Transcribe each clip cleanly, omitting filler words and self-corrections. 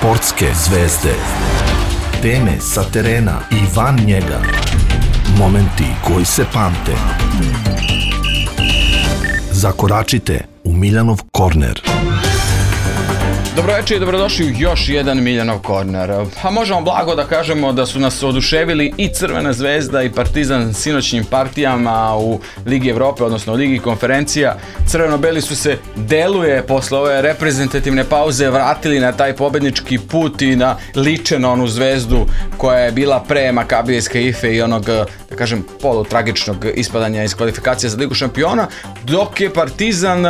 Sportske zvezde. Teme sa terena i van njega. Momenti koji se pamte. Zakoračite u Miljanov korner. Dobroveče i dobrodošli u još jedan Miljanov korner. A možemo blago da kažemo da su nas oduševili i Crvena zvezda i Partizan sinoćnim partijama u Ligi Evrope, odnosno u Ligi konferencija. Crveno-beli su se, deluje, posle ove reprezentativne pauze vratili na taj pobednički put i na liče na onu zvezdu koja je bila pre Makabijske Ife i onog, da kažem, polutragičnog ispadanja iz kvalifikacija za Ligu šampiona, dok je Partizan,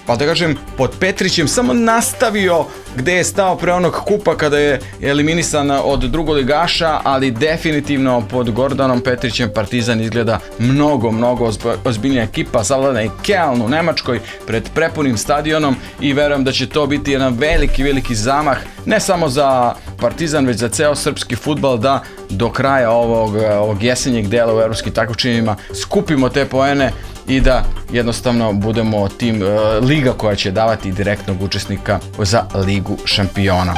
pa da kažem, pod Petrićem samo nastavio gde je stao pre onog kupa kada je eliminisan od drugoligaša, ali definitivno pod Gordanom Petrićem Partizan izgleda mnogo ozbiljnija ekipa, savladana i Keln u Nemačkoj pred prepunim stadionom i verujem da će to biti jedan veliki zamah ne samo za Partizan već za ceo srpski fudbal da do kraja ovog jesenjeg dela u evropskim takmičenjima skupimo te poene i da jednostavno budemo tim liga koja će davati direktnog učesnika za Ligu šampiona.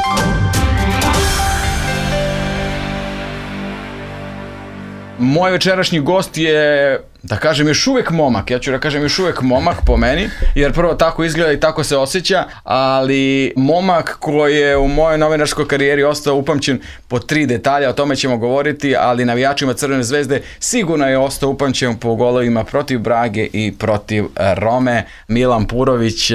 Moj večerašnji gost je, da kažem, još uvijek momak. Ja ću da kažem još uvijek momak po meni, jer prvo tako izgleda i tako se osjeća, ali momak koji je u mojoj novinarskoj karijeri ostao upamćen po 3 detalja, o tome ćemo govoriti, ali navijačima Crvene zvezde sigurno je ostao upamćen po golovima protiv Brage i protiv Rome. Milan Purović.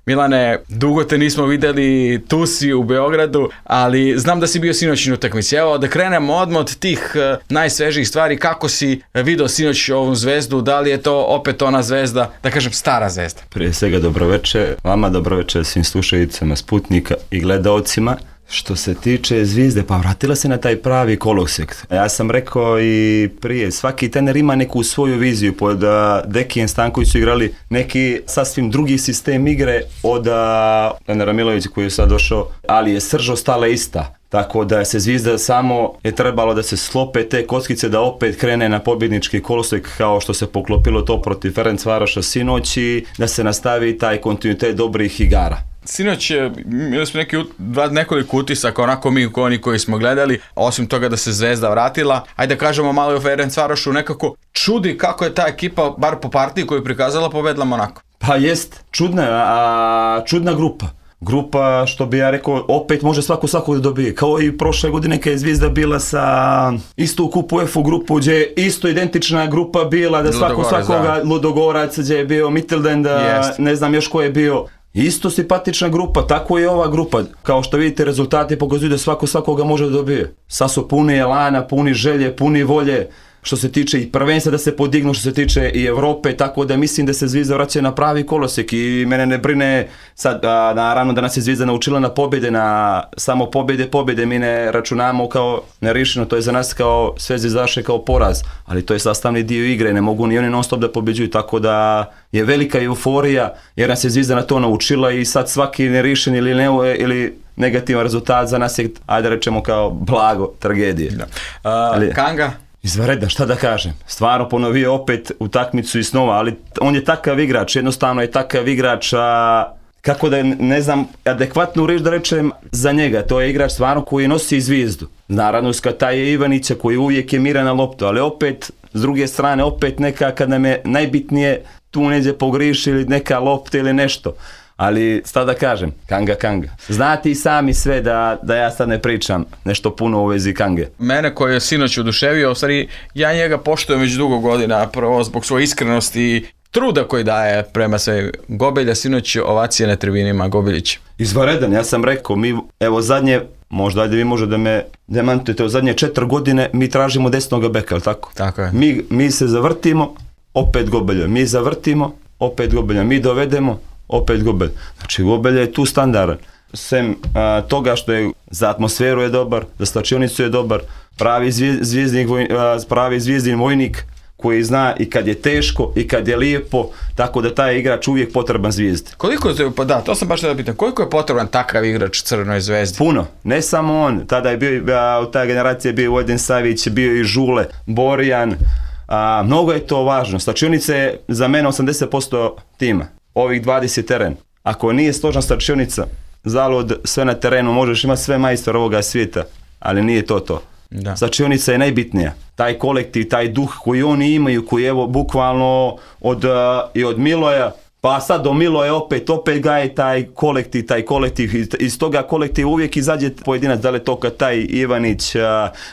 Milane, dugo te nismo videli, tu si u Beogradu, ali znam da si bio sinoć na utakmici. Evo, da krenemo odmah od tih najsvežijih stvari. Kako si video sinoć ovu zvezdu? Da li je to opet ona zvezda, da kažem stara zvezda? Prije svega dobroveče, vama dobroveče svim slušalicama Sputnika i gledaocima. Što se tiče zvijezde, pa vratila se na taj pravi kolosek. Ja sam rekao i prije, svaki trener ima neku svoju viziju. Pod Dekijem Stanković su igrali neki sasvim drugi sistem igre od trenera Milovića koji je sad došao, ali je srž ostala ista. Tako da se zvijezda samo je trebalo da se slope te kockice da opet krene na pobjednički kolosek kao što se poklopilo to protiv Ferencvaroša sinoć i da se nastavi taj kontinuitet dobrih igara. Sinoć imali smo nekoliko utisaka, onako mi oni koji smo gledali, osim toga da se zvezda vratila. Ajde da kažemo malo i o Ferencvarošu, nekako čudi kako je ta ekipa, bar po partiji koju je prikazala, pobedila Monako. Pa jest, čudna grupa. Grupa, što bi ja rekao, opet može svakog da dobije. Kao i prošle godine kad je Zvijezda bila sa isto u kupu UEFA grupu, gdje je isto identična grupa bila, da svakoga Ludogorac, gdje je bio Mittelden, ne znam još ko je bio. Isto simpatična grupa, tako je ova grupa. Kao što vidite, rezultati pokazuju da svakoga može da dobije. Sad su puni elana, puni želje, puni volje. Što se tiče i prvenstva da se podignu, što se tiče i Evrope, tako da mislim da se Zvijezda vraća na pravi kolosek i mene ne brine sad, naravno da nas je Zvijezda naučila na pobjede, na samo pobjede, mi ne računamo kao nerišeno, to je za nas kao sve zvezdaše kao poraz, ali to je sastavni dio igre, ne mogu ni oni non stop da pobjeđuju, tako da je velika euforija jer nas je Zvijezda na to naučila i sad svaki nerišen ili negativan rezultat za nas je, ajde rečemo kao blago, tragedije. Kanga? Izvanredno, šta da kažem, stvarno ponovio opet utakmicu i snova, ali on je takav igrač, jednostavno je takav igrač, kako da ne znam, adekvatnu riječ da rečem za njega, to je igrač stvarno koji nosi Zvijezdu. Naravno, taj je Ivanića koji uvijek je miran na loptu, ali opet, s druge strane, opet neka kad nam je najbitnije tu neđe pogriši ili neka lopta ili nešto. Ali, šta da kažem, Kanga. Znate i sami sve da ja sad ne pričam nešto puno u vezi Kange. Mene koji je sinoć oduševio, u stvari ja njega poštujem već dugo godina, prvo zbog svoje iskrenosti i truda koji daje prema sve. Gobelja sinoć ovacije na tribinima, Gobeljić. Izvanredan, ja sam rekao, mi evo zadnje, možda ajde vi možete da me demantujete, u zadnje 4 godine mi tražimo desnog beka, ali tako? Tako je. Mi se zavrtimo, opet Gobelja, mi zavrtimo, opet Gobelja, mi dovedemo, opet Gobelj. Znači Gobelj je tu standardan. Sem toga što je za atmosferu je dobar, za slačionicu je dobar, pravi zvijezdin vojnik koji zna i kad je teško i kad je lijepo, tako da taj igrač uvijek potreban Zvijezdi. To sam baš da pitam, koliko je potreban takav igrač Crvenoj zvezdi? Puno, ne samo on, tada je bio, u ta generacija je bio Vojden Savić, bio i Žule, Borjan, mnogo je to važno. Slačionica je za mene 80% tima, ovih 20 teren. Ako nije složna slačionica, zalud, sve na terenu, možeš imati sve majstora ovoga svijeta, ali nije to. Da. Začionica je najbitnija. Taj kolektiv, taj duh koji oni imaju, koji evo bukvalno od Miloja, pa sad do Miloja opet gaje taj kolektiv, iz toga kolektiva uvijek izađe pojedinac, da li je to taj Ivanić,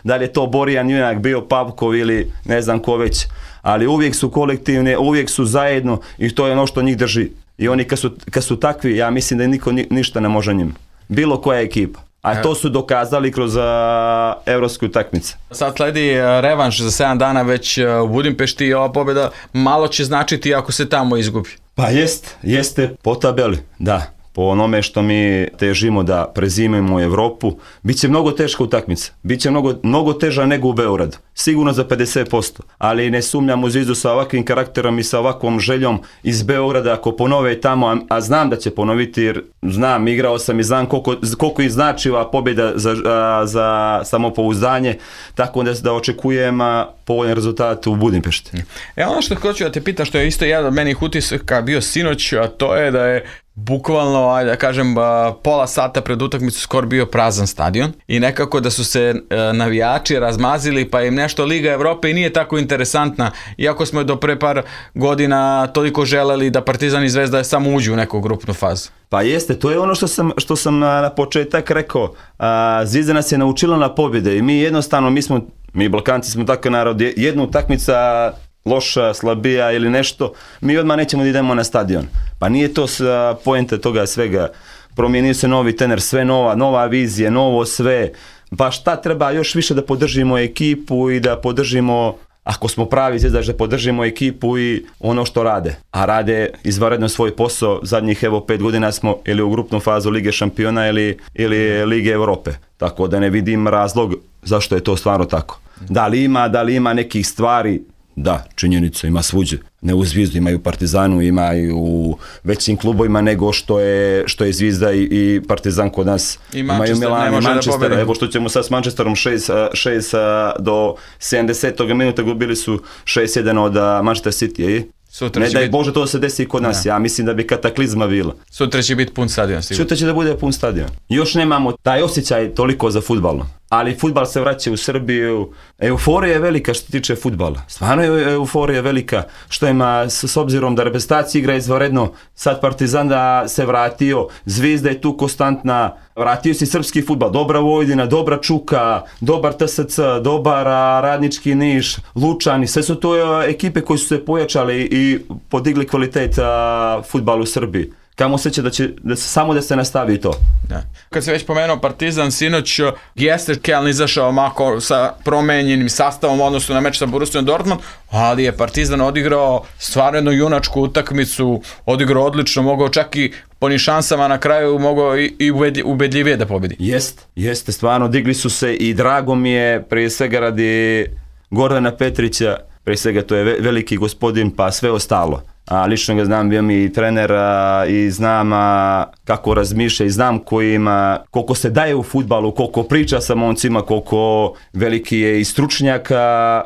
da li je to Borjan Junak, bio Pavkov ili ne znam ko već, ali uvijek su kolektivne, uvijek su zajedno i to je ono što njih drži. I oni kad su takvi, ja mislim da niko ništa ne može njim. Bilo koja ekipa. A to su dokazali kroz evropske utakmice. Sad sledi revanš za 7 dana već u Budimpešti i ova pobjeda malo će značiti ako se tamo izgubi. Pa jeste po tabeli, da. Po onome što mi težimo da prezimimo u Evropu, bit će mnogo teška utakmica. Bit će mnogo teža nego u Beogradu. Sigurno za 50%. Ali ne sumnjam u Zvizdu sa ovakvim karakterom i sa ovakvom željom iz Beograda ako ponove tamo, a znam da će ponoviti jer znam, igrao sam i znam koliko im znači ova pobjeda za samopouzdanje, tako da očekujem povoljan rezultat u Budimpešti. Ono što hoću da te pitam, što je isto jedan od menih utisaka bio sinoć, a to je da je bukvalno, ajde da kažem, pola sata pred utakmicu skoro bio prazan stadion i nekako da su se navijači razmazili pa im nešto Liga Evrope i nije tako interesantna, iako smo do pre par godina toliko želeli da Partizan i Zvezda samo uđu u neku grupnu fazu. Pa jeste, to je ono što sam na početak rekao, Zvizda nas je naučila na pobjede i mi jednostavno, mi Balkanci smo takav narod, jedna utakmica loša, slabija ili nešto, mi odmah nećemo da idemo na stadion. Pa nije to poenta toga svega. Promijenio se novi trener, sve nova vizija, novo sve. Pa šta treba još više da podržimo ekipu i da podržimo, ako smo pravi Zvijezdaš, da podržimo ekipu i ono što rade. A rade izvanredno svoj posao. Zadnjih 5 godina smo ili u grupnu fazu Lige šampiona ili Lige Evrope. Tako da ne vidim razlog zašto je to stvarno tako. Da li ima nekih stvari. Da, činjenica, ima svuđe. Ne u Zvizdu, imaju Partizanu, imaju u većim klubovima nego što je Zvizda i Partizan kod nas. Imaju Milan i Manchester. Evo što ćemo sad s Manchesterom 6 do 70. minuta gubili su 6-1 od Manchester City. Ne daj Bože to se desi i kod nas, ja mislim da bi kataklizma bila. Sutra će biti pun stadion sigurno. Sutra će da bude pun stadion. Još nemamo taj osjećaj toliko za fudbalom. Ali fudbal se vraća u Srbiju. Euforija je velika što se tiče fudbala. Stvarno je euforija velika što ima s obzirom da reprezentacija igra izvanredno. Sad Partizan da se vratio, Zvijezda je tu konstantna. Vratio se srpski fudbal, dobra Vojvodina, dobra Čuka, dobar TSC, dobar Radnički Niš, Lučani. Sve su to ekipe koje su se pojačale i podigli kvalitet fudbala u Srbiji. Kamo se će samo da se nastavi to. Da. Kad se već pomenuo Partizan, sinoć jeste Keln izašao mako sa promenjenim sastavom u odnosu na meč sa Borussiom Dortmund, ali je Partizan odigrao stvarno jednu junačku utakmicu, odigrao odlično, mogao čak i po onim šansama na kraju mogao i ubedljivije da pobedi. Jeste, stvarno digli su se i drago mi je prije svega radi Gordana Petrića, prije svega to je veliki gospodin pa sve ostalo. Lično ga znam, bio mi i trener i znam kako razmišlja i znam koliko se daje u fudbalu, koliko priča sa momcima, koliko veliki je i stručnjak,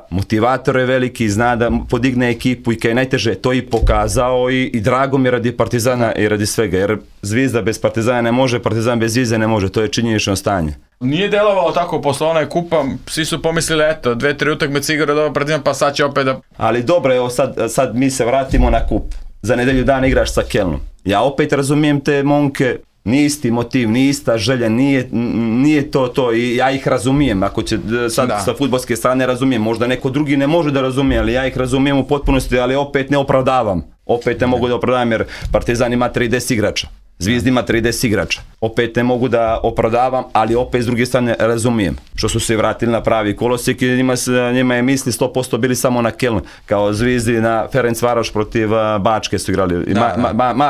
motivator je veliki, zna da podigne ekipu i kad je najteže to i pokazao i drago mi je radi Partizana i radi svega, jer Zvijezda bez Partizana ne može, Partizan bez Zvijezde ne može, to je činjenično stanje. Nije delovalo tako posle onaj kupa, svi su pomislili, 2-3 utakmice igra dobro Partizan, pa sad će opet da... Ali dobro, evo sad mi se vratimo na kup. Za nedelju dana igraš sa Kelnom. Ja opet razumijem te momke, nije isti motiv, nije ista želja, nije to i ja ih razumijem. Ako će sad sa fudbalske strane razumijem, možda neko drugi ne može da razumije, ali ja ih razumijem u potpunosti, ali opet ne opravdavam. Opet ne mogu da opravdavam jer Partizan ima 30 igrača. Zvijezda ima 30 igrača. Opet ne mogu da opravdavam, ali opet s druge strane razumijem. Što su se vratili na pravi kolosijek i njima je misli 100% bili samo na Keln. Kao Zvijezdi na Ferencvaroš protiv Bačke su igrali.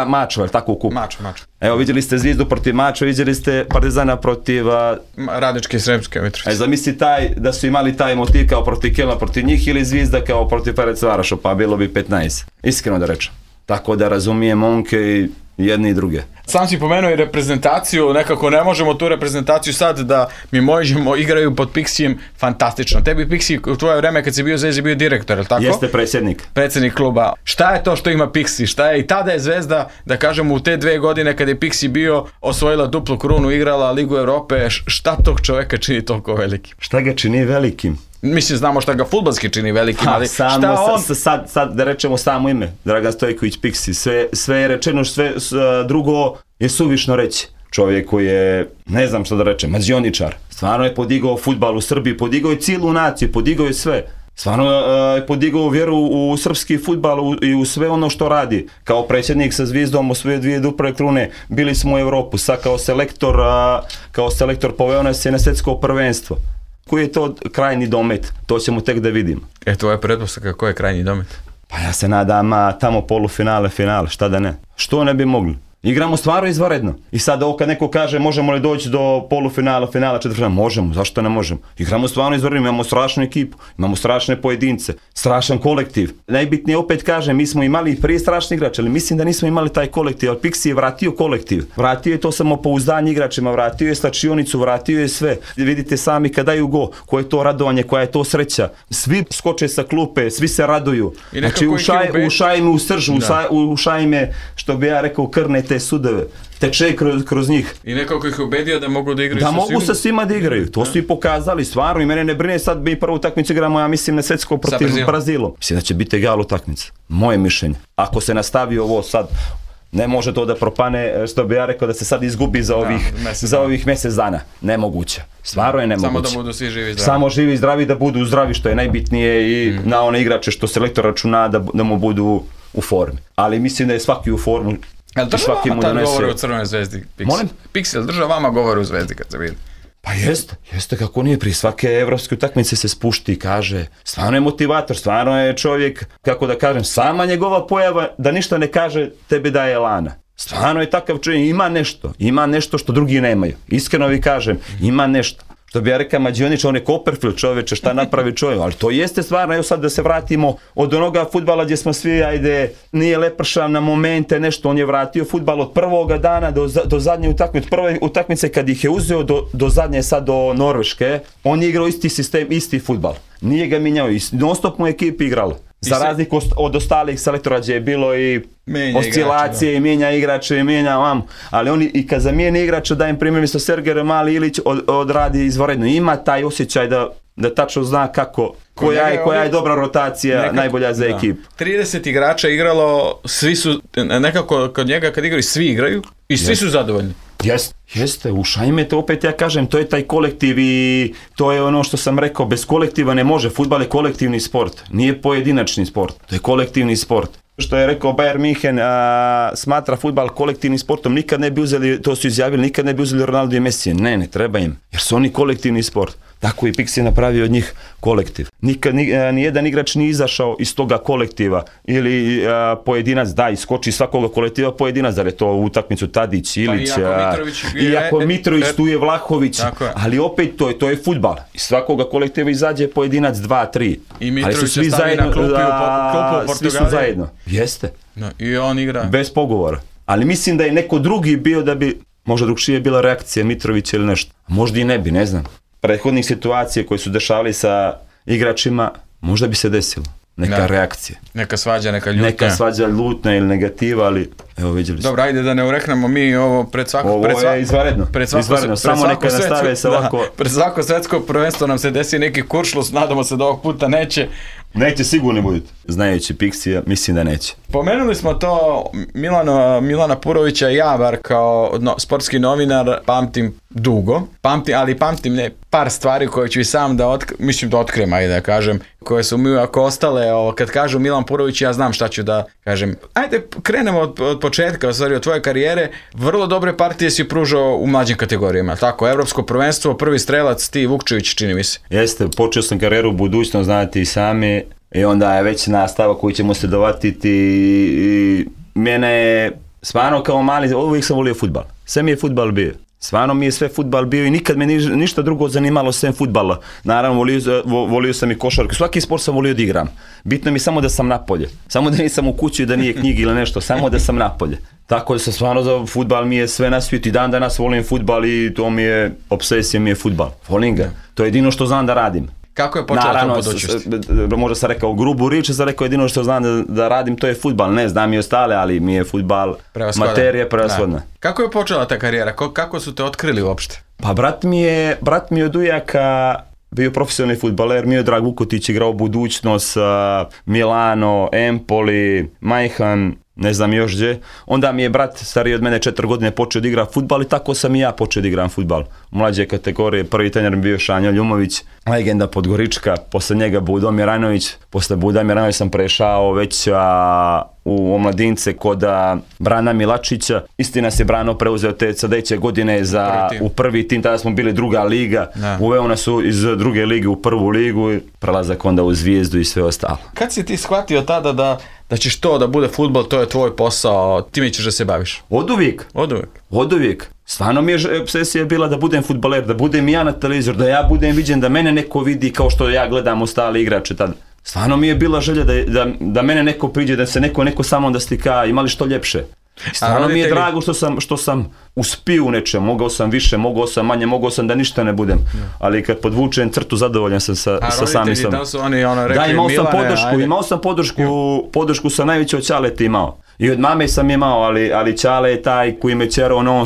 Mačo, tako u kupu. Mačo. Evo vidjeli ste Zvijezdu protiv Mačo, vidjeli ste Partizana protiv... Radničke i Sremske Mitrovice. Zamisli da su imali taj motiv kao protiv Kelna protiv njih ili Zvijezda kao protiv Ferencvaroša, pa bilo bi 15. Iskreno da rečem. Tako da razumijem momke i jedne i druge. Sam si pomenuo i reprezentaciju, nekako ne možemo tu reprezentaciju sad da mi možemo igraju pod Pixijem fantastično. Tebi Pixi u tvoje vreme kad si bio Zvezdi bio direktor, je li tako? Jeste predsjednik. Predsjednik kluba. Šta je to što ima Pixi? Šta je i tada je Zvezda, da kažemo u te 2 godine kad je Pixi bio, osvojila duplu krunu, igrala Ligu Europe, šta tog čovjeka čini toliko velikim? Šta ga čini velikim? Mislim, znamo šta ga fudbalski čini velikim, ali šta on... Sad da rečemo samo ime, Dragan Stojković Pixi, sve je rečeno, sve drugo je suvišno reći. Čovjek koji je, ne znam što da rečem, mađioničar. Stvarno je podigao fudbal u Srbiji, podigao je cijelu naciju, podigao je sve. Stvarno je podigao vjeru u srpski fudbal i u sve ono što radi. Kao predsjednik sa Zvizdom osvojio 2 duple krune, bili smo u Europu, sad kao selektor poveo nas je na svjetsko prvenstvo. Koji je to krajnji domet? To ćemo tek da vidimo. Tvoja pretpostavka, koji je krajnji domet? Pa ja se nadam tamo polufinale, finale, šta da ne. Što ne bi mogli? Igramo stvarno izvanredno. I sad ovo kad neko kaže možemo li doći do polufinala, finala, četvrtfinala, možemo, zašto ne možemo? Igramo stvarno izvanredno, imamo strašnu ekipu, imamo strašne pojedince, strašan kolektiv. Najbitnije opet kažem, mi smo imali prije strašni igrač, ali mislim da nismo imali taj kolektiv, ali Pixi je vratio kolektiv. Vratio je to samopouzdanje igračima, vratio je slačionicu, vratio je sve. Vidite sami kad daju go, koje je to radovanje, koja je to sreća. Svi skoče sa klupe, svi se raduju. Znači ušaj me u srž, ušaj me, što bi ja rekao, krne te sudove, teče kroz njih. I nekako ih ubedio da mogu da igraju sa svima? Da mogu sa svima da igraju, to su i pokazali, stvarno, i mene ne brine sad mi prvu utakmicu igramo, ja mislim, na svjetsko protiv Brazilom. Mislim da će biti egal utakmica, moje mišljenje. Ako se nastavi ovo sad, ne može to da propane, što bi ja rekao, da se sad izgubi za ovih mjesec dana. Nemoguće. Stvarno je nemoguće. Samo da budu svi živi i zdravi. Samo živi i zdravi, da budu zdravi, što je najbitnije, i na one igrače što selektor računa da mu budu u formi. Ali mislim da je svaki u formu. Jel drža vama tad govori u Crvenoj Zvezdi? Molim? Pixi, jel drža vama govori u Zvezdi kad se vidi? Pa jeste kako nije, prije svake evropske utakmice se spušti i kaže, stvarno je motivator, stvarno je čovjek, kako da kažem, sama njegova pojava da ništa ne kaže tebi daje elana. Stvarno je takav čovjek, ima nešto što drugi nemaju. Iskreno vi kažem, ima nešto. Što bi ja rekao mađionič, on je Copperfield čovječe, šta napravi čovjek, ali to jeste stvarno. Evo sad da se vratimo od onoga fudbala gdje smo svi, ajde, nije lepršav na momente, nešto, on je vratio fudbal od prvoga dana do zadnje utakmice, od prve utakmice kad ih je uzeo do zadnje sad do Norveške, on je igrao isti sistem, isti fudbal. Nije ga mijenjao, non stop mu ekipi igrala. Za razliku od ostalih selektora gdje je bilo i oscilacije, i mijenja igrače, i mijenja ali oni i kad zamijeni igrača, dajem primjer, mjesto Sergej Mali Ilić odradi izvanredno. Ima taj osjećaj da tačno zna koja je dobra rotacija, najbolja za ekipu. 30 igrača igralo, svi su, nekako kod njega kad igraju, svi igraju i svi su zadovoljni. Jeste, ušajme to, opet ja kažem, to je taj kolektiv i to je ono što sam rekao, bez kolektiva ne može, fudbal je kolektivni sport, nije pojedinačni sport, to je kolektivni sport. Što je rekao Bayern München, smatra fudbal kolektivnim sportom, nikad ne bi uzeli, to su izjavili, nikad ne bi uzeli Ronaldo i Messi, ne treba im, jer su oni kolektivni sport. Tako i Pixi napravio od njih kolektiv. Nikad nijedan igrač nije izašao iz toga kolektiva ili pojedinac iskoči iz svakoga kolektiva pojedinac, da je to u utakmicu Tadić, Ilić, iako Mitrović, tu je Vlahović, ali opet to je fudbal. Iz svakoga kolektiva izađe pojedinac 2-3. I Mitrović se stavi na klupu u Portugaliji. Svi su zajedno. Jeste. I on igra. Bez pogovora. Ali mislim da je neko drugi bio da bi, možda drugčije bila reakcija Mitrovića ili nešto. Možda i ne bi, ne znam. Prethodnih situacije koje su dešavali sa igračima, možda bi se desilo. Neka reakcija. Neka svađa, neka ljutnja. Neka svađa, ljutnja ili negativa, ali evo vidjeli smo. Dobro, ajde da ne ureknemo mi ovo pred svako... Ovo je izvanredno. Samo neka nastave se ovako... Pred svako svjetsko prvenstvo nam se desi neki kuršlus, nadamo se da ovog puta neće. Neće sigurno budete. Znajući Pixija, mislim da neće. Pomenuli smo to Milana Purovića i ja, bar kao sportski novinar, pamtim dugo. Pamtim par stvari koje ću i sam da otkrijem, ajde da kažem, koje su mi ako ostale, kad kažu Milan Purović, ja znam šta ću da kažem. Ajde, krenemo od početka, od tvoje karijere. Vrlo dobre partije si pružao u mlađim kategorijama, tako? Evropsko prvenstvo, prvi strelac, ti Vukčević, čini mi se. Jeste, počeo sam karijeru u budućnost, znate i sami, i onda je već nastava koju ćemo se dovatiti i mene je stvarno kao mali, uvijek sam volio fudbal. Sve mi je fudbal bio. Stvarno mi je sve fudbal bio i nikad me ništa drugo zanimalo sem fudbala. Naravno, volio sam i košarku. Svaki sport sam volio da igram. Bitno mi samo da sam napolje. Samo da nisam u kući, da nije knjigi ili nešto. Samo da sam napolje. Tako da sam stvarno za fudbal mi je sve na svijetu. I dan danas volim fudbal i to mi je, obsesija mi je fudbal. Volim ga. To je jedino što znam da radim. Kako je počela to budućnost? Možda sam rekao grubu riječ, sam rekao jedino što znam da radim, to je fudbal. Ne znam i ostale, ali mi je fudbal materija prevashodna. Kako je počela ta karijera? Kako su te otkrili uopšte? Pa brat mi je od ujaka bio profesionalni fudbaler, mi je Drag Vukotić igrao Budućnost, Milano, Empoli, Majhan, ne znam još gdje. Onda mi je brat stariji od mene 4 godine počeo da igra fudbal i tako sam i ja počeo da igram fudbal. U mlađe kategorije, prvi trener mi bio Šanjo Ljumović, legenda Podgorička, posle njega Budomir Rajnović, posle Budomir Rajnović sam prešao već u omladince kod Brana Milačića. Istina se Brano preuzeo te sljedeće godine u prvi tim, tada smo bili druga liga, uveo nas iz druge lige u prvu ligu i prelazak onda u Zvijezdu i sve ostalo. Kad si ti shvatio tada da ćeš to da bude fudbal, to je tvoj posao, time ćeš da se baviš? Od uvijek. Stvarno mi je obsesija bila da budem fudbaler, da budem ja na televizor, da ja budem viđen, da mene neko vidi kao što ja gledam ostale igrače tada. Stvarno mi je bila želja da mene neko priđe, da se neko sa mnom da slika, imali što ljepše. Stvarno mi je drago što sam uspio u nečem, mogao sam više, mogao sam manje, mogao sam da ništa ne budem, ali kad podvučem crtu zadovoljan sam sa samim sam. Da, imao sam podršku sa najveće od Ćaleta imao. I od mame sam imao, ali Ćale je taj koji me čerao non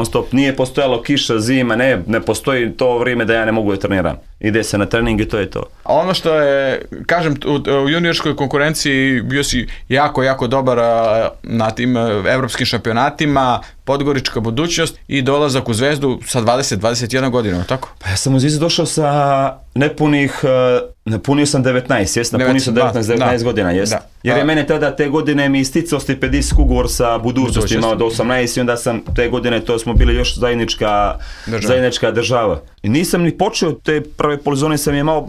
stop, nije postojalo kiša, zima, ne postoji to vrijeme da ja ne mogu da treniram. Ide se na trening i to je to. A ono što je, kažem, u juniorskoj konkurenciji bio si jako dobar na tim evropskim šampionatima, Podgorička Budućnost i dolazak u Zvezdu sa 20-21 godina, tako? Pa ja sam u Zvezdu došao sa napunio sam 19, napunio sam 19 godina, jest. Jer je mene tada te godine mi isticao stipendijski ugovor sa Budućnosti, imao do 18 i onda sam te godine, to smo bili još zajednička država. I nisam ni počeo, te prve polizone sam imao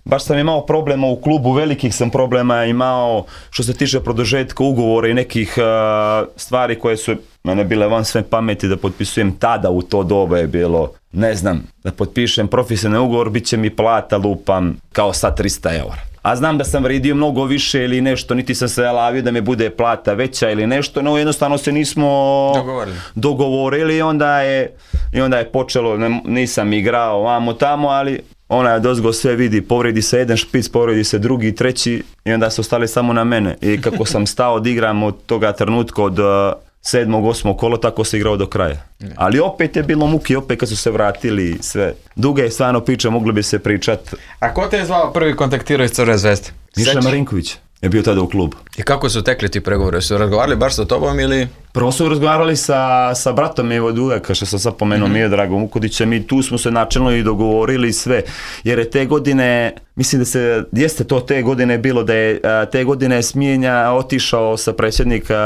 baš sam imao problema u klubu, velikih sam problema imao što se tiče produžetka ugovora i nekih stvari koje su mene bile van sve pameti da potpisujem tada u to doba je bilo, ne znam, da potpišem profesionalni ugovor, bit će mi plata lupam kao sad 300 eura. A znam da sam vrijedio mnogo više ili nešto, niti sam se lavio da mi bude plata veća ili nešto, no jednostavno se nismo dogovorili i onda je počelo, nisam igrao vamo tamo, ali ona dozgo sve vidi, povredi se jedan špic, povredi se drugi, treći i onda su ostali samo na mene. I kako sam stao da igram od toga trenutka od 7. 8. kolo, tako se igrao do kraja. Ali opet je bilo muki, opet kad su se vratili sve. Duga je stvarno priča, mogli bi se pričat. A ko te je zvao prvi kontaktirao iz Crvene Zvezde? Miša Marinković je bio tada u klubu. I kako su tekli ti pregovori? Su razgovarali baš sa tobom ili? Prvo su razgovarali sa bratom Evo Dujaka, što sam sad pomenuo, mi je Dragom Vukotićem i tu smo se načelno i dogovorili sve. Jer je te godine, mislim da jeste to te godine bilo, da je te godine smijenja otišao sa predsjednika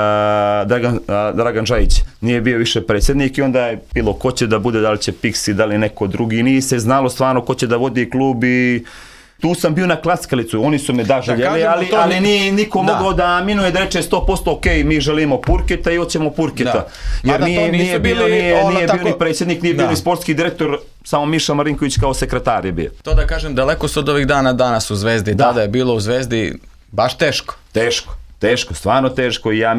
Dragan Žajić. Nije bio više predsjednik i onda je bilo ko će da bude, da li će Pixi, da li neko drugi. Nije se znalo stvarno ko će da vodi klub i tu sam bio na klackalicu, oni su me željeli, ali nije niko mogao da aminuje da reče 100% ok, mi želimo Purketa i hoćemo Purketa. Jer nije bio ni predsjednik, nije bio ni sportski direktor, samo Miša Marinković kao sekretar je bio. To da kažem, daleko su od ovih dana danas u Zvezdi, tada je bilo u Zvezdi baš teško. Teško, stvarno teško i ja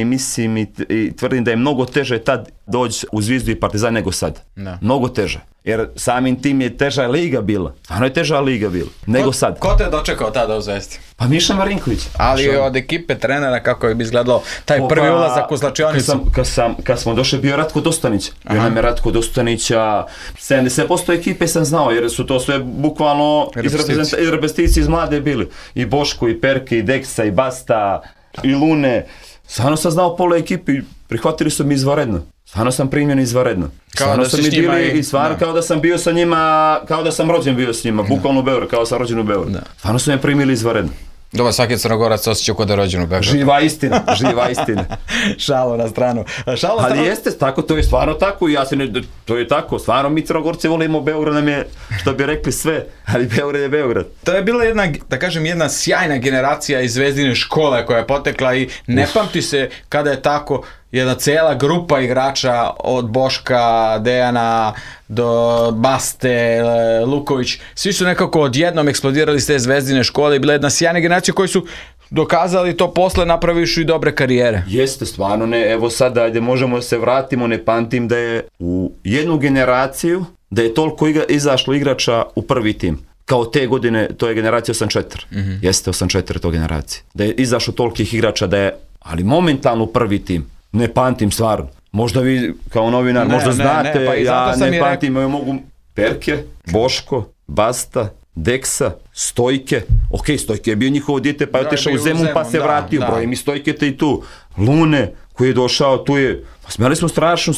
mislim i tvrdim da je mnogo teže tad doći u Zvijezdu i Partizan nego sad. Mnogo teže. Jer samim tim je teža liga bila. Stvarno je teža liga bila nego sad. Ko te je dočekao tada u Zvezdi? Pa Miša Marinković. Ali od ekipe trenera kako bi izgledalo taj prvi ulazak u slačionicu? Kad smo došli bio Ratko Dostanić. Bio nam je Ratko Dostanića. 70% ekipe sam znao jer su to sve bukvalno iz repeticije iz mlade bili. I Boško, i Perke, i Deksa, i Basta, i Lune. Stvarno sam znao pola ekipi i prihvatili su mi izvanredno. Stvarno sam primjen izvanredno. Stvarno sam kao da sam bio sa njima, kao da sam rođen bio s njima, bukvalno u Beogradu, kao sam rođen u Beogradu. Stvarno su me primili izvanredno. Dobro, svaki Crnogorac osjećao kod da je rođen u Beogradu. Živa istina. Šalo na stranu. Ali jeste tako, to je stvarno tako i to je tako, stvarno mi Crnogorci volimo Beograd, nam je, što bi rekli sve, ali Beograd je Beograd. To je bila jedna sjajna generacija iz Zvezdine škole koja je potekla i ne pamti se kada je tako jedna cijela grupa igrača od Boška, Dejana do Baste, Luković, svi su nekako odjednom eksplodirali s te Zvezdine škole i bila jedna sjajna generacija koji su dokazali to posle, napraviš i dobre karijere. Jeste, stvarno ne, evo sada ajde možemo se vratimo, ne pamtim da je u jednu generaciju da je toliko izašlo igrača u prvi tim. Kao te godine, to je generacija 84. Jeste 84 to generacija. Da je izašlo tolikih igrača da je, ali momentalno u prvi tim. Ne pamtim stvarno. Možda vi kao novinar možda znate, pa ja ne pamtim, mogu Perke, Boško, Basta, Deksa, Stojke. Ok, Stojke je bio njihovo dijete pa je otišao u Zemun pa se vratio. Brojim i Stojke te i tu. Lune koji je došao, tu je, smjeli smo strašno,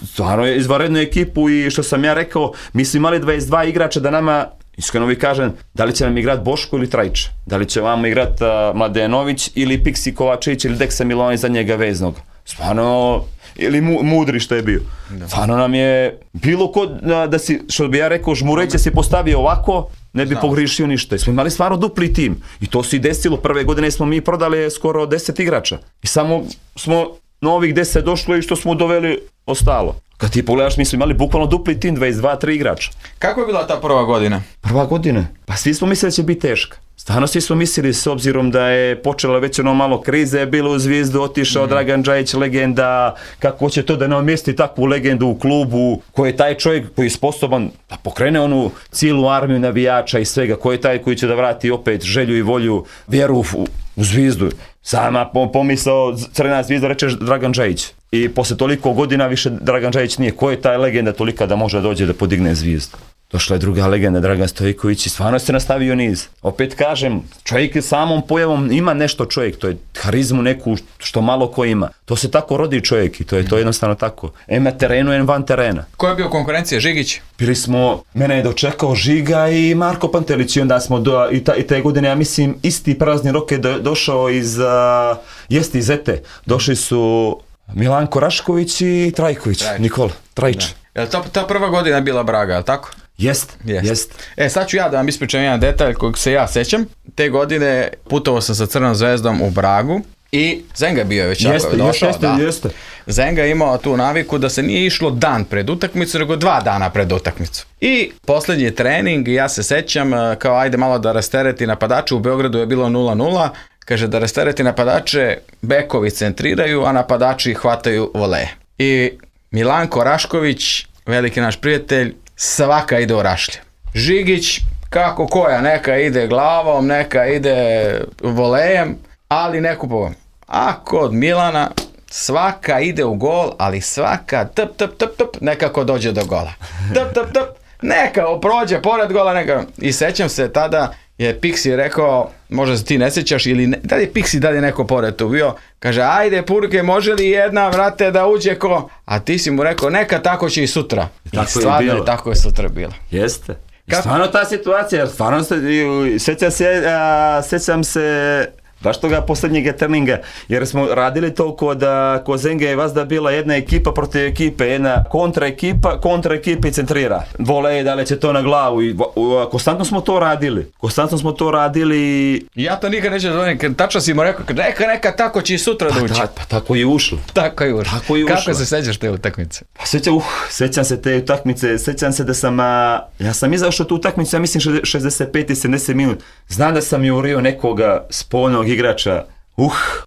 stvarno je izvanrednu ekipu i što sam ja rekao, mi smo imali 22 igrača da nama, iskreno vi kažem, da li će nam igrat Boško ili Trajić, da li će vam igrat Mladenović ili Piksi Kovačević ili Deksa Milanović za njega veznog. Stvarno, ili Mudri što je bio. Stvarno nam je bilo ko da si, što bi ja rekao, Žmureće se postavio ovako, ne bi pogrišio ništa. Smo imali stvarno dupli tim. I to se i desilo. Prve godine smo mi prodali skoro 10 igrača. I samo smo novih 10 došlo i što smo doveli ostalo. Kad ti pogledaš, mi smo imali bukvalno dupli tim, 22-3 igrača. Kako je bila ta prva godina? Prva godina? Pa svi smo mislili da će biti teška. Stvarno svi smo mislili, s obzirom da je počela već ono malo krize, bilo u Zvijezdu, otišao Dragan Džajić, legenda, kako će to da namjesti takvu legendu u klubu, ko je taj čovjek koji je sposoban da pokrene onu cijelu armiju navijača i svega, ko je taj koji će da vrati opet želju i volju, vjeru u Zvijezdu. Sama pomisao Crvena Zvijezda reče Dragan Džajić. I posle toliko godina više Dragan Džajić nije. Ko je taj legenda tolika da može dođe da podigne Zvijezdu? Došla je druga legenda, Dragan Stojković, i stvarno se nastavio niz. Opet kažem, čovjek samom pojavom ima nešto čovjek, to je harizmu neku što malo ko ima. To se tako rodi čovjek i to je to jednostavno tako. Em na terenu, em van terena. Ko je bio konkurencija, Žigić? Bili smo, mene je dočekao Žiga i Marko Pantelić i onda smo i te godine, ja mislim, isti prazni rok je došao iz Ete. Došli su Milanko Rašković i Trajković, Nikola Trajić. Je li ta prva godina bila Braga, je li tako? Jest. Sad ću ja da vam ispričam jedan detalj kojeg se ja sećam. Te godine putovao sam sa Crvenom Zvezdom u Bragu i Zenga bio je već došao. Jeste. Zenga je imao tu naviku da se nije išlo dan pred utakmicu, nego 2 dana pred utakmicu. I posljednji trening, ja se sećam, kao ajde malo da rastereti napadače, u Beogradu je bilo 0-0, kaže da rastereti napadače, bekovi centriraju, a napadači hvataju voleje. I Milanko Rašković, veliki naš prijatelj, svaka ide u rašlje. Žigić, kako koja, neka ide glavom, neka ide volejem, ali neku povom. A kod Milana svaka ide u gol, ali svaka nekako dođe do gola. Neka prođe pored gola, neka. I sećam se tada je Piksi rekao, možda se ti ne sjećaš, ili da li je Piksi dalje neko pored tu bio, kaže ajde Purke, može li jedna vrate da uđe ko, a ti si mu rekao neka tako će i sutra. I stvarno je tako je sutra bilo. Jeste. Stvarno ta situacija, stvarno sjećam se baš toga posljednjeg treninga, jer smo radili to kod Zenge je vazda bila jedna ekipa protiv ekipe, jedna kontra ekipa i centrira. Vole, da li će to na glavu i konstantno smo to radili. Ja to nikad neću dozvoliti, tačno si mu rekao, neka tako će i sutra da ući. Pa tako je ušlo. Kako se sećaš te utakmice? Pa sećam se te utakmice, sećam se da sam, ja sam izašao tu utakmicu, ja mislim 65 i 70 minut. Znam da sam jurio nekoga spolnog igrača,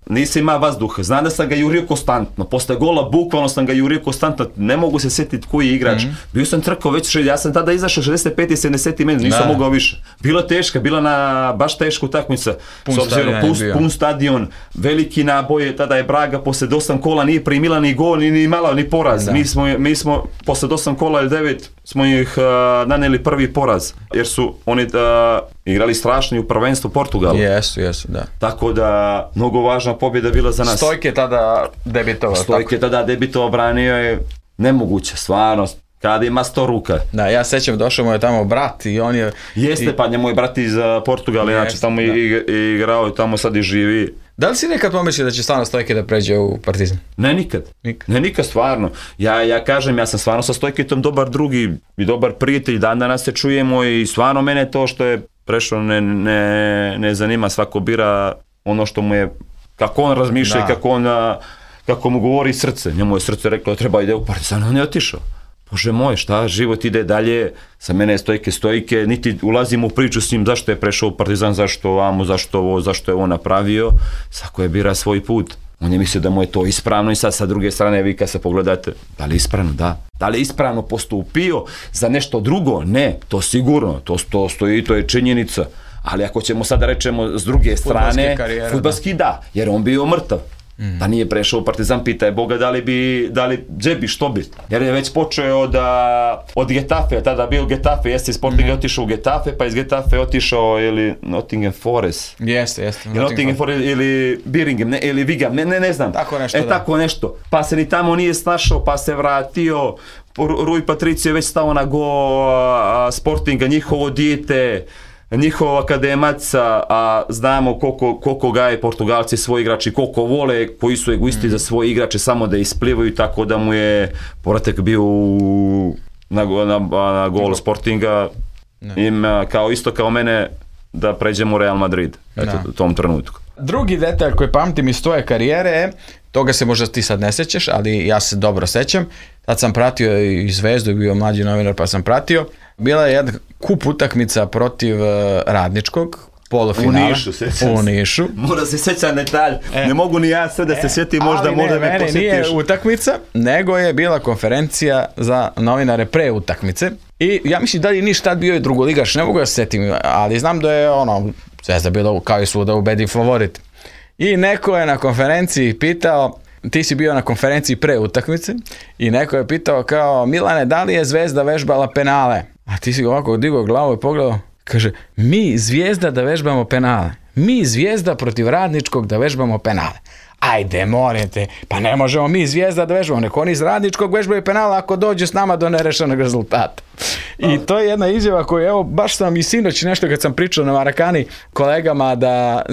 nisam ima vazduha, znam da sam ga jurio konstantno, posle gola bukvalno sam ga jurio konstantno, ne mogu se sjetiti koji je igrač, bio sam trkao već, ja sam tada izašao 65 i 70 minut, nisam mogao više, bila teška, bila na baš tešku utakmica, s obzirom pun stadion, veliki naboje, tada je Braga posle 8 kola nije primila ni gol, ni malo, ni poraz, mi smo posle 8 kola ili 9 smo ih naneli prvi poraz, jer su oni igrali strašno u prvenstvu Portugalu. Jesu, da. Tako da, mnogo važna pobjeda bila za nas. Stojke tada debitovao. Branio je nemoguće, stvarno. Kada ima 100 ruka. Da, ja sećam, došao mu je tamo brat i on je... Pa njemu je brat iz Portugala, inače tamo igrao, tamo sad i živi. Da li si nekad pomislio da će stvarno Stojke da pređe u Partizan? Ne, nikad, stvarno. Ja kažem, ja sam stvarno sa Stojketom dobar drugi i dobar prijatelj, danas se čujemo i stvarno mene to što je prešlo ne zanima, svako bira ono što mu je kako on razmišlja i kako mu govori srce. Njemu je srce reklo da treba ide u Partizan, on je otišao. Bože moj, šta, život ide dalje, sa mene je stojke, niti ulazim u priču s njim zašto je prešao u Partizan, zašto ovamo, zašto ovo, zašto je on napravio, svako je bira svoj put. On je mislio da mu je to ispravno i sad sa druge strane vi kad se pogledate, da li je ispravno? Da. Da li je ispravno postupio za nešto drugo? Ne, to sigurno, to stoji, to je činjenica. Ali ako ćemo sada rečemo s druge strane, fudbalski da, jer on bio mrtav. Da nije prešao u Partizan, pitaj Boga gdje bi, što bi. Jer je već počeo od Getafe, tada bio Getafe, jeste iz Sportinga otišao u Getafe, pa iz Getafe otišao ili Nottingham Forest. Jeste. Nottingham Forest ili Birmingham, ili Wigan, ne znam. Tako nešto, tako nešto. Pa se ni tamo nije snašao, pa se vratio. Rui Patricio je već stao na go Sportinga, njihovo dijete, njihova akademaca, a znamo koliko gaje Portugalci svoji igrači, koliko vole, koji su egoisti za svoje igrače, samo da isplivaju, tako da mu je povratak bio na gol Sportinga, isto kao mene, da pređemo u Real Madrid u tom trenutku. Drugi detalj koji pamtim iz tvoje karijere je, toga se možda ti sad ne sećaš, ali ja se dobro sećam, tad sam pratio i Zvezdu, bio mlađi novinar pa sam pratio, bila je jedna kup utakmica protiv Radničkog, polufinala. U Nišu. Mora se sjećati detalj, ne mogu ni ja sve da se sjetim, možda me posjetiš. Nije utakmica, nego je bila konferencija za novinare pre utakmice i ja mislim da li Niš tad bio i drugoligaš, ne mogu da se sjetim, ali znam da je Zvezda bila kao i svuda ubedi favorit. I neko je na konferenciji pitao, ti si bio na konferenciji pre utakmice i neko je pitao kao, Milane, da li je Zvezda vežbala penale? A ti si ovako digao glavu i pogledao, kaže, mi Zvijezda da vežbamo penale. Mi Zvijezda protiv Radničkog da vežbamo penale. Ajde, molim te, pa ne možemo mi Zvijezda da vežbamo, neko oni iz Radničkog vežbaju penala ako dođe s nama do nerešenog rezultata. I to je jedna izjava koju, evo, baš sam i sinoć nešto kad sam pričao na Marakani kolegama,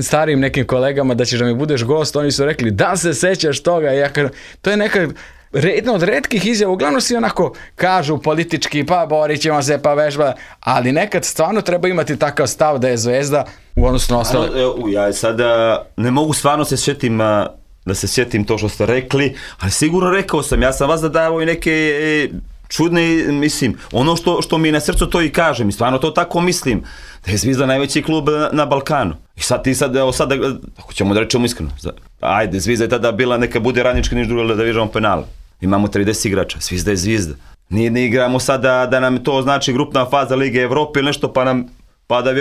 starijim nekim kolegama, da ćeš da mi budeš gost, oni su rekli, da se sećaš toga, ja kažem, to je neka jedna od retkih izjava, uglavnom svi onako kažu politički, pa borit ćemo se, pa vežba, ali nekad stvarno treba imati takav stav da je Zvezda u odnosu na ostale. Ja sada ne mogu stvarno da se sjetim to što ste rekli, ali sigurno rekao sam, ja sam vas davao i neke čudne, mislim, ono što mi je na srcu to i kažem, i stvarno to tako mislim, da je Zvijezda najveći klub na Balkanu. I sad ako ćemo da rečemo iskreno, ajde, Zvijezda je tada bila, neka bude Radnički Niš drugo da vežbamo penale. Imamo 30 igrača, Zvijezda je Zvijezda. Ne igramo sad da nam to znači grupna faza Lige Evrope ili nešto pa da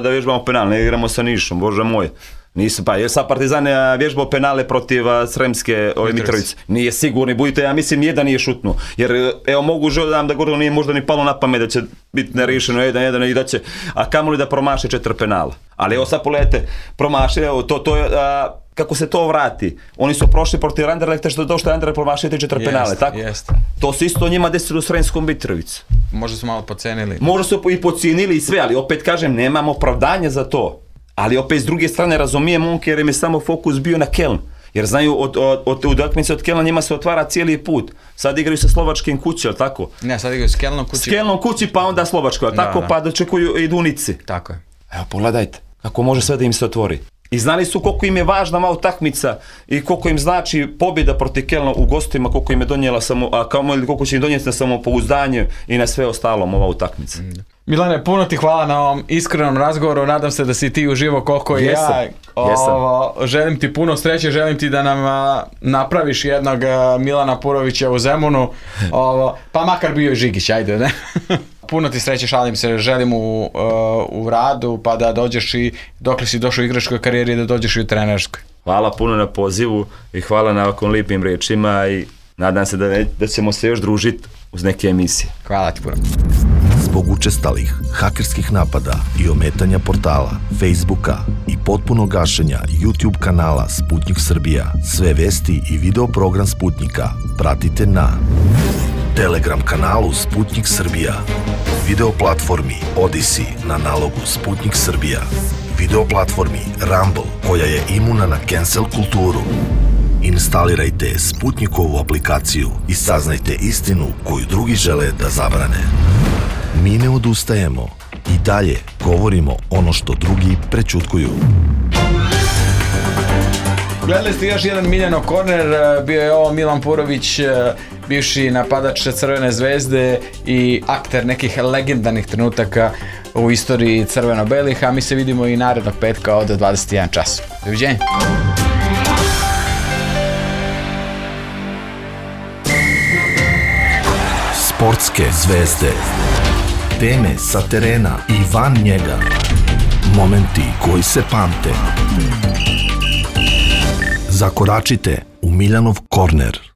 vježbamo penale, ne igramo sa Nišom, bože moj. Nisu, pa jer sad Partizan je vježbao penale protiv Sremske Mitrovice. Nije sigurni, budite, ja mislim jedan nije šutnuo. Jer evo mogu da govorim, nije možda ni palo na pamet da će biti nerešeno 1-1 i da će, a kamoli da promaše 4 penala. Ali evo sad pogledajte, promaše, evo to je, kako se to vrati. Oni su prošli protiv Anderlechta što je Anderlecht promašio 4 penale, tako? To se isto njima desilo u Sremskom Mitrovici. Možda su malo podcenili. Možda su i podcijenili i sve, ali opet kažem, nemamo opravdanje za to. Ali opet s druge strane razumijem momke jer im je samo fokus bio na Keln. Jer znaju od utakmice od Kelna njima se otvara cijeli put. Sad igraju sa Slovačkim kući, ali tako? Ne, sad igraju s Kelnom kući. S Kelnom kući pa onda Slovačko, ali tako? Pa dočekuju i Dunici. Tako je. Evo pogledajte, kako može sve da im se otvori. I znali su koliko im je važna ova utakmica i koliko im znači pobjeda protiv Kelna u gostima, koliko im je donijela koliko će im donijeti na samopouzdanje i na sve ostalom ova utakmica. Milane, puno ti hvala na ovom iskrenom razgovoru, nadam se da si ti uživo koliko i ja. Želim ti puno sreće, želim ti da nam napraviš jednog Milana Purovića u Zemunu, pa makar bio i Žigić, ajde, ne? Puno ti sreće, šalim se, želim u radu, pa da dođeš i dokle si došao u igračkoj karijeri, da dođeš i u trenerskoj. Hvala puno na pozivu i hvala na ovakvom lijepim riječima i nadam se da ćemo se još družiti uz neke emisije. Hvala ti puno. Zbog učestalih hakerskih napada i ometanja portala, Facebooka i potpunog gašenja YouTube kanala Sputnik Srbija, sve vesti i video program Sputnika pratite na Telegram kanalu Sputnik Srbija, video platformi Odyssey na nalogu Sputnik Srbija, video platformi Rumble koja je imuna na cancel kulturu. Instalirajte Sputnikovu aplikaciju i saznajte istinu koju drugi žele da zabrane. Mi ne odustajemo i dalje govorimo ono što drugi prećutkuju. Gledali ste još jedan Miljanov korner, bio je ovo Milan Purović, bivši napadač Crvene zvezde i akter nekih legendarnih trenutaka u istoriji crveno-belih, a mi se vidimo i narednog petka od 21 čas. Doviđenja. Sportske zvezde. Teme sa terena i van njega. Momenti koji se pamte. Zakoračite u Miljanov korner.